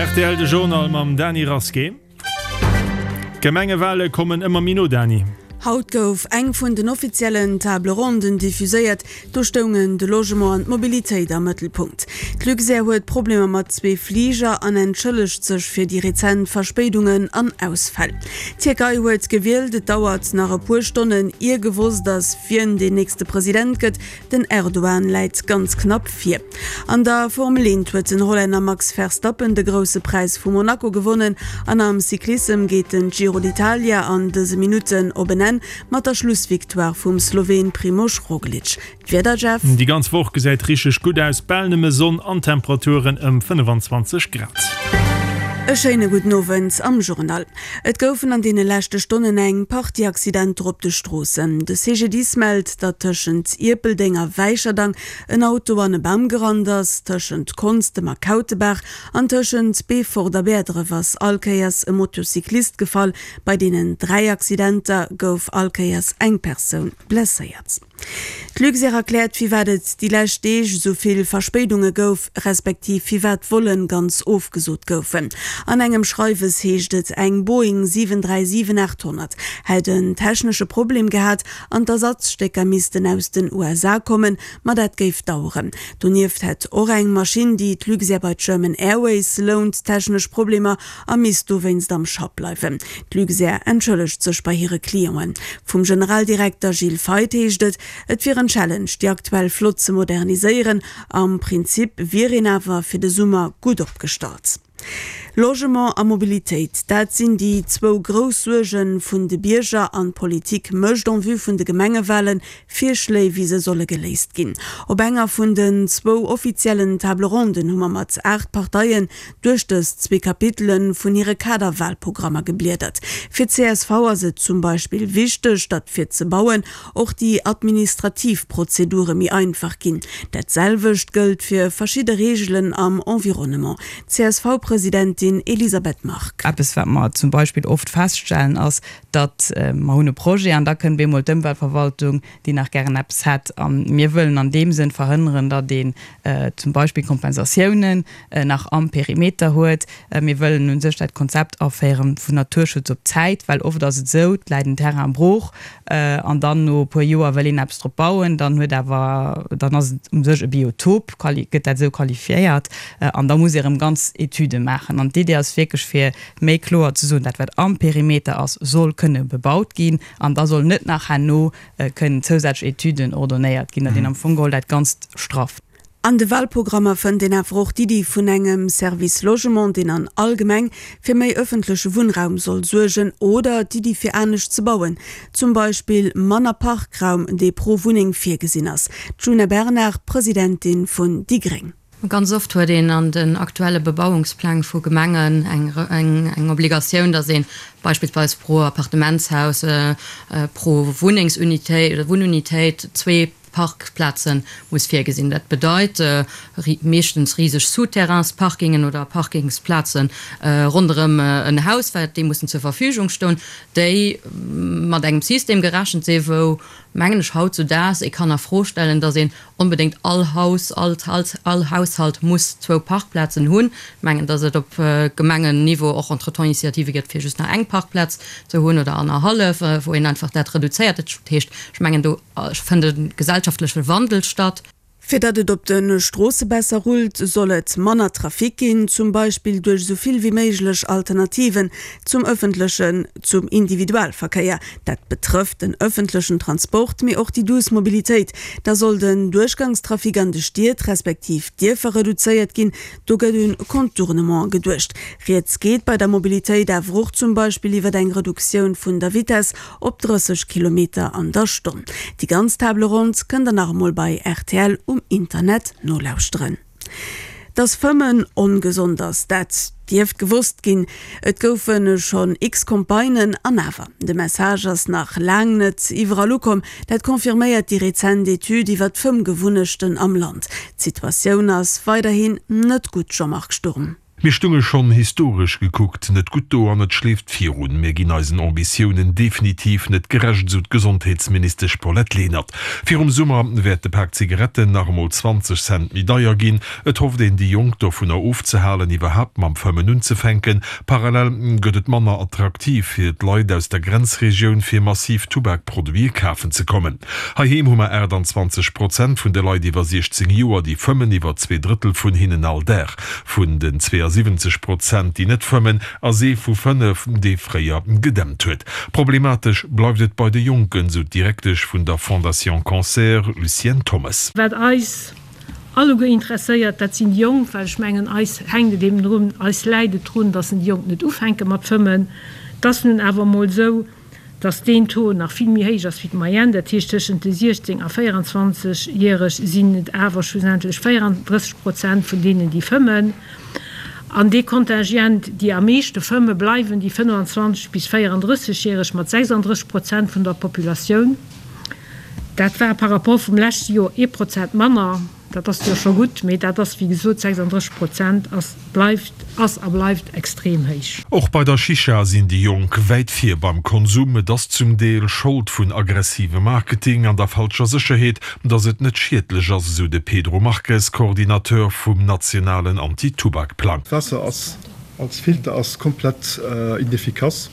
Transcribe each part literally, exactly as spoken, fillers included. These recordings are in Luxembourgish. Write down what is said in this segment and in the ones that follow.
Rtl de Journal mam Dany Rasqué. D'Gemengewale kommen ëmmer méi no, Dany. Haut gouf eng vun den offiziellen Table Ronden diffuséiert. Do stoungen de Logement an d'Mobilitéit am Mëttelpunkt. D'Luxair huet Problemer mat zwee Fliger an entschëllegt sech fir déi rezent Verspéidungen an Ausfäll. D'Tierkei huet gewielt. Et dauert nach e puer Stonnen, ier gewosst ass, wien deen nächste President gëtt. Den Erdogan läit ganz knapp vir. An der Formel eent huet den Hollänner Max Verstappen de Grousse Präis vu Monaco gewonnen an am Cyclissem geet den Giro d'Italia an dëse Minutten op en Enn mat der Schlussvictoire vum Sloween Primož Roglič. D'Wieder, Jeff? Déi ganz Woch gesäit richteg gutt aus, bal nëmme Sonn an Temperaturen ëm fënnefenzwanzeg Grad. E schéine gudden Owend am Journal. Et goufen an deene leschte Stonnen eng Partie Accidenter op de Stroossen. De C G D I S mellt, datt tëschent Ierpeldeng a Wäicherdang en Auto an e Bam gerannt ass. Tëschent Konstem a Kautebaach an tëschent Beefort a Bäerdref ass all Kéiers e Motocyclist gefall. Bei deenen dräi Accidenter gouf all Kéiers eng Persoun blesséiert. D'Luxair erkläert, firwat et déi lescht Deeg esou vill Verspéidunge gouf, respektiv firwat Vollen ganz ofgesot goufen. An engem Schreiwes heescht et, eng Boeing siwen dräi siwen aacht honnert hätt en technesche Problem gehat an d'Ersatzstécker missten aus den U S A kommen, ma dat géif daueren. Donieft hätt och eng Maschinn, déi d'Luxair bei German Airways lount, technesch Problemer a misst dowéinst am Schapp bleiwen. D'Luxair entschëllegt sech bei hire Clienten. Vum Generaldirekter Gilles Feith heescht et, et wier en Challenge, déi aktuell Flott ze moderniséieren. Am Prinzip wier een awer fir de Summer gutt opgestallt. Logement a Mobilitéit, dat sinn déi zwou grouss Suerge vun de Bierger an d'Politik mécht en vue vun de Gemengewalen Virschléi wéi se solle geléist ginn. Op enger vun den zwou offiziellen Table Ronden hu mer mat aacht Parteien duerch dës zwee Kapitele vun hire Kaderwalprogrammer gebliedert. Fir d'C S V ass et zum Beispill wichteg, datt fir ze bauen och déi administrativ Prozedure méi einfach ginn. Dat selwecht gëllt fir verschidde Reegelen am Environnement. C S V-Presidentin Elisabeth Margue. Eppes, wat mer zum Beispill oft feststellen, ass, datt mer hunn e Projet an da kënnt bemol d'Ëmweltverwaltung, déi nach gären eppes hätt. A mir wëllen an deem Sënn verhënneren, datt een zum Beispill Kompensatiounen nach am Perimeter huet. Mir wëllen u sech dat Konzept aféieren vun Naturschutz op Zäit, well oft ass et esou, et läit en Terrain brooch an dann no e puer Joer wëll een eppes drop bauen, dann huet awer, dann ass et u sech e Biotop, gëtt dat esou qualifiéiert an da muss ee erëm ganz Etüde maachen. An d'Idee ass wierklech fir méi kloer ze soen, dat wat am Perimeter ass, soll kënne bebaut ginn an da soll net nach herno kënnen zousätzlech Etüden ordonéiert ginn, datt een am Fong geholl dat Ganzt strafft. An de Walprogrammer fënnt een awer och d'Iddi vun engem Service Logement, deen an all Gemeng fir méi ëffentleche Wunnraum soll suergen, oder d'Iddi fir anescht ze bauen, zum Beispill manner Parkraum, dee pro Wunneng virgesinn ass. Djuna Bernard, Presidentin vun déi gréng. Ganz oft huet een an den aktuelle Bebauungspläng vu Gemengen eng eng eng Obligatioun, datt ee beispillsweis pro Appartementshaus, pro Wunnengsunitéit oder Wunnunitéit zwee Parkplaze muss virgesinn. Dat bedeit meeschtens riseg Souterrainsparkingen oder Parkingsplaze ronderëm en Haus, wat déi mussen zur Verfügung stoen, déi mat engem System gerechent sinn, wou, mengen ech, hautzudaags ee kann a Fro stellen, datt een onbedéngt all Haus, all all Haushalt muss zwou Parkplazen hunn. Ech mengen, datt et op Gemengenniveau och entretemps Initiative gëtt, fir just nach eng Parkplaz ze hunn oder annerhallef, wou een einfach dat reduzéiert. Dat heescht, ech mengen, do fënnt e gesellschaftleche Wandel statt. Fir datt et op de Stroosse besser rullt, soll et manner Trafic ginn, zum Beispill duerch esou vill wéi méiglech Alternativen zum ëffentlechen, zum Individualverkéier. Dat betrëfft den ëffentlechen Transport, mee och déi duuss Mobilitéit. Da soll den Duerchgangstrafic an de Stied respektiv Dierfer reduzéiert ginn, do gëtt un Contournement geduecht. Rieds geet bei der Mobilitéit awer och zum Beispill iwwer eng Reduktioun vun der Vitess op drësseg Kilometer an der Stonn. Déi ganz Table ronde kënnt der nach emol bei R T L um Internet nolauschteren. Dass Fëmmen ongesond ass, dat dierft gewosst ginn. Et goufe schonn x Campagnen an awer, de Message ass nach laang net iwwerall ukomm. Dat confirméiert déi rezent Etüd iwwer d'Fëmmgewunnechten am Land. D'Situatioun ass weiderhin net gutt, Jean-Marc Sturm. Mir stunge schonn historesch gekuckt net gutt do an et schleeft virun. Mir ginn eisen Ambitiounen definitiv net gerecht, esou d'Gesondheetsministesch Paulette Lenert. Virum Summer wäert de Pak Zigaretten nach emol zwanzeg Cent méi deier ginn. Et hofft een, déi Jonk dovunner ofzehalen, iwwerhaapt mam Fëmmen unzefänken. Parallel gëtt et manner attraktiv fir d'Leit aus der Grenzregioun, fir massiv Tubakproduite kafen ze kommen. Heiheem hu mer aachtanzwanzeg Prozent vun de Leit iwwer siechzéng Joer, déi fëmmen, iwwer zwee Drëttel vun hinnen all Dag. Vun den zweeasiwwenzeg Prozent, déi net fëmmen, ass ee vu fënnef, dee fréier gedämpt huet. Problematesch bleift et bei de Jonken, sou d'Direktesch vun der Fondation Cancer, Lucienne Thommes. Wat eis alleguer interesséiert, dat sinn déi Jonk, well ech mengen, eis hänkt et eben drun, eis läit et drun, dass en déi Jonk net ufänke mat fëmmen. Et ass nun awer emol esou, dass deen Taux nach vill méi héich ass wéi d'Moyenne, dat heescht tëschent de siechzéng a véieranzwanzeg Järeg sinn et awer schlussendlech véierandrësseg Prozent vun deenen, déi fëmmen. An dee Kontingent, déi am meeschte fëmmen, bleiwen déi fënnefanzwanzeg bis véierandrësseg Järeg mat sechsandrësseg Prozent vun der Populatioun. Dat war par rapport vum leschte Joer ee Prozent manner. Dat ass jo scho gutt, mee dat ass wéi gesot, sechsandrësseg Prozent ass, bleift, ass a bleift extrem héich. Och bei der Shisha sinn déi Jonk wäit vir beim Konsum. Et ass zum Deel Schold vun aggressivem Marketing an der falscher Sécherheet, datt et net schiedlech ass, esou de Pedro Marques, Coordinateur vum nationalen Anti-Tubak-Plang. D'Waasser ass als Filter ass komplett inefficace.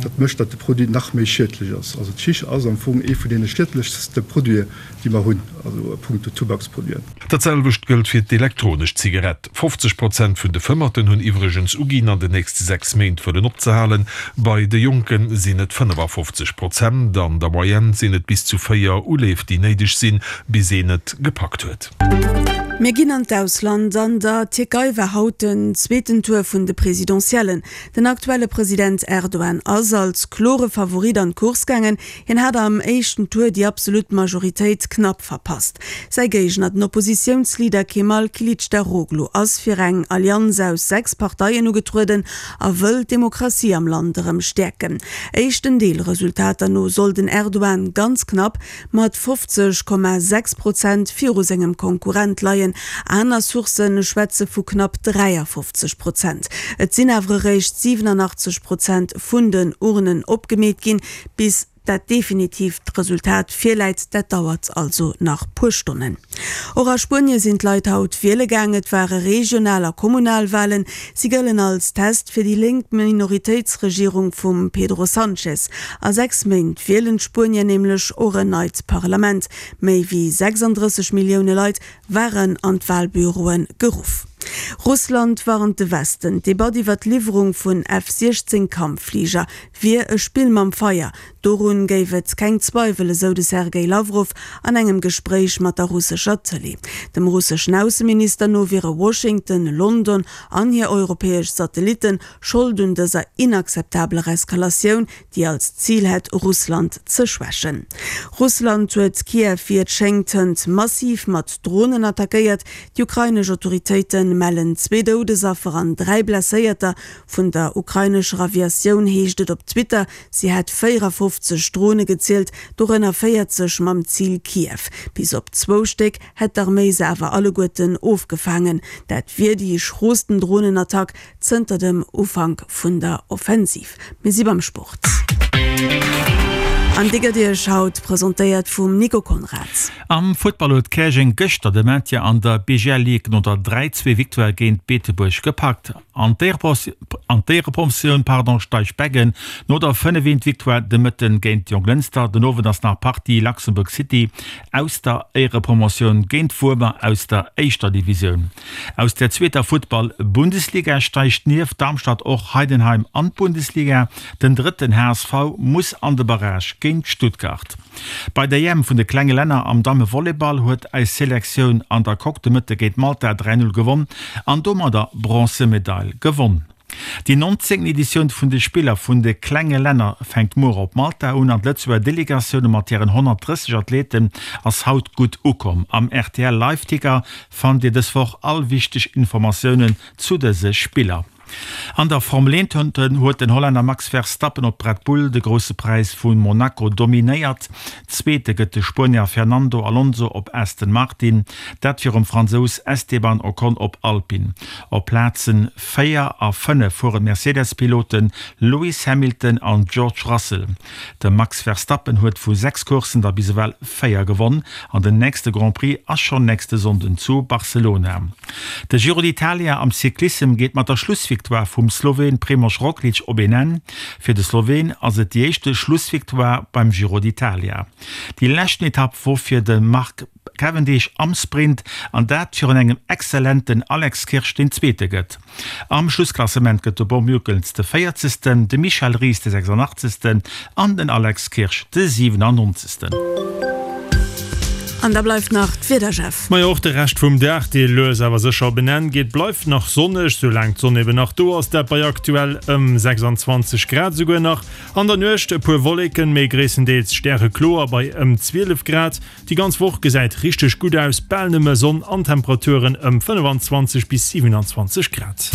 Dat mécht, datt de Produit nach méi schiedlech ass. Also d'Schisch ass am Fong ee vun deene schiedlechste Produiten, déi mer hunn, also a punkto Tubaksproduiten. Dat selwecht gëllt fir d'elektronesch Zigarett. fofzeg Prozent vun de Fëmmerten hunn iwwregens uginn, an den nächste sechs Méint wëllen opzehalen. Bei de Jonke sinn et fënnefafofzeg Prozent. An der Moyenne sinn et bis zu véier Uleef, déi néideg sinn, bis een et gepackt huet. Mir ginn an d'Ausland. An der Tierkei war haut den zweeten Tour vun de Presidentiellen. Den aktuelle President Erdogan ass als klore Favorit an d'Course gaangen. Hien hat am éischten Tour déi absolut Majoritéit knapp verpasst. Säi Géigner, den Oppositiounsleader Kemal Kilicdaroglu, ass fir eng Allianz aus sechs Parteien ugetrueden a wëll d'Demokratie am Land erëm stäerken. Éischten Deelresultater no soll den Erdogan ganz knapp mat fofzeg Komma sechs Prozent viru sengem Konkurrent leien. Aner Sourcë schwätze vu knapp dräiafofzeg Prozent. Et sinn awer eréischt siwenanachtzeg Prozent vun den Urnen opgemeet ginn. Bis dat definitiivt Resultat virläit, dat dauert also nach puer Stonnen. Och a Spuenie sinn d'Leit haut wiele gaang. Et ware Regional a Kommunalwalen. Si gëllen als Test fir déi lénk Minoritéitsregierung vum Pedro Sanchez. A sechs Méint wielen d'Spuenier nämlech och en neit Parlament. Méi wéi sechsandrësseg Millioune Leit waren an d'Walbüroe geruff. Russland warnt de Westen, d'Debatt iwwer d'Liwwerung vun F siechzéng Kampffliger wier e Spill mam Feier. Dorun géif et keng Zweiwel, esou de Sergej Lawrow an engem Gespréich mat der russescher Tëlee. Dem russeschen Ausseminister no wiere Washington, London an hir europäesch Satellitten Schold un dëser inakzeptabeler Eskalatioun, déi als Zil hätt, Russland ze schwächen. Russland huet Kiew wéi et schéngt hënt massiv mat Dronen attackéiert. Déi ukrainesch Autoritéite mellen zwee Doudesaffer an dräi Blesséierter. Vun der ukrainescher Aviatioun heescht et op Twitter, si hätt véierafofzeg Drone gezielt, dorënner véierzeg mam Zil Kiew. Bis op zwou Stéck hätt d'Arméi se awer alleguerten ofgefaangen. Dat wier déi schroosten Dronenattack zënter dem Ufank vun der Offensiv. Mir si beim Sport. An déi gëtt Iech haut presentéiert vum Nico Conrad. Am Futtball huet Käerjeng gëschter de Maintien an der B G L Ligue no der dräi zwee Victoire géint Beetebuerg gepackt. An d'Éierepromotioun pardon steigt Beggen no der fënnef eent Victoire de Mëtten géint Jonglënster. Den Owend ass nach Partie Luxembourg City aus der Éierepromotioun géint Wuermer aus der éischter Divisioun. Aus der zweeter Futtball Bundesliga steigt nieft Darmstadt och Heidenheim an d'Bundesliga. Den drëtten H S V muss an de Barrage géint Stuttgart. Bei der E M vun de klenge Länner am Damme-Volleyball huet eis Selektioun an der Coque de Mëtte géint Malta dräi null gewonn an domadder Bronzemedail gewonn. Déi nonzéngten Editioun vun de Spiller vun de klenge Länner fänkt muer op Malta un an d'Lëtzebuerger Delegatioun mat hiren honnertdrësseg Athleten ass haut gutt ukomm. Am R T L Live-Ticker fannt Dir dës Woch all wichteg Informatiounen zu dëse Spiller. An der Formel eent huet den Hollänner Max Verstappen op Red Bull de Grousse Präis vu Monaco dominéiert. Zweete gëtt de Spuenier Fernando Alonso op Aston Martin, dat virum Fransous Esteban Ocon op Alpine. Op Plazen véier a fënnef fueren d'Mercedes-Pilote Lewis Hamilton an George Russell. De Max Verstappen huet vu sechs Courssen der bis ewell véier gewonn an den nächste Grand Prix ass schonn nächste Sonnden zu Barcelona. De Giro d'Italia am Cyclissem geet mat der Schlussvictoire vum Sloween Primož Roglič op een Enn. Fir de Sloween ass et déi éischte Schlussvictoire beim Giro d'Italia. Déi leschten Etapp wor fir de Mark Cavendish am Sprint an dat virun engem exzellenten Alex Kirsch deen Zweete gëtt. Am Schlussklassement gëtt de Bob Jungels de véierzegsten, de Michel Ries de sechsundachtzegsten an den Alex Kirsch de siwenannonzegsten. An da bleift nach d'Wieder, Jeff. Majo, och de Rescht vum Dag, dee lues awer sécher op en Enn geet, bleift nach sonneg, soulaang d'Sonn eben nach do ass, dat bei aktuell ëm sechsundzwanzeg Grad esouguer nach. An der Nuecht e puer Wolleken, mee gréisstendeels stärekloer bei ëm zwielef Grad. Déi ganz Woch gesäit richteg gutt aus, bal nëmme Sonn an Temperaturen ëm fënnefanzwanzeg bis siwenanzwanzeg Grad.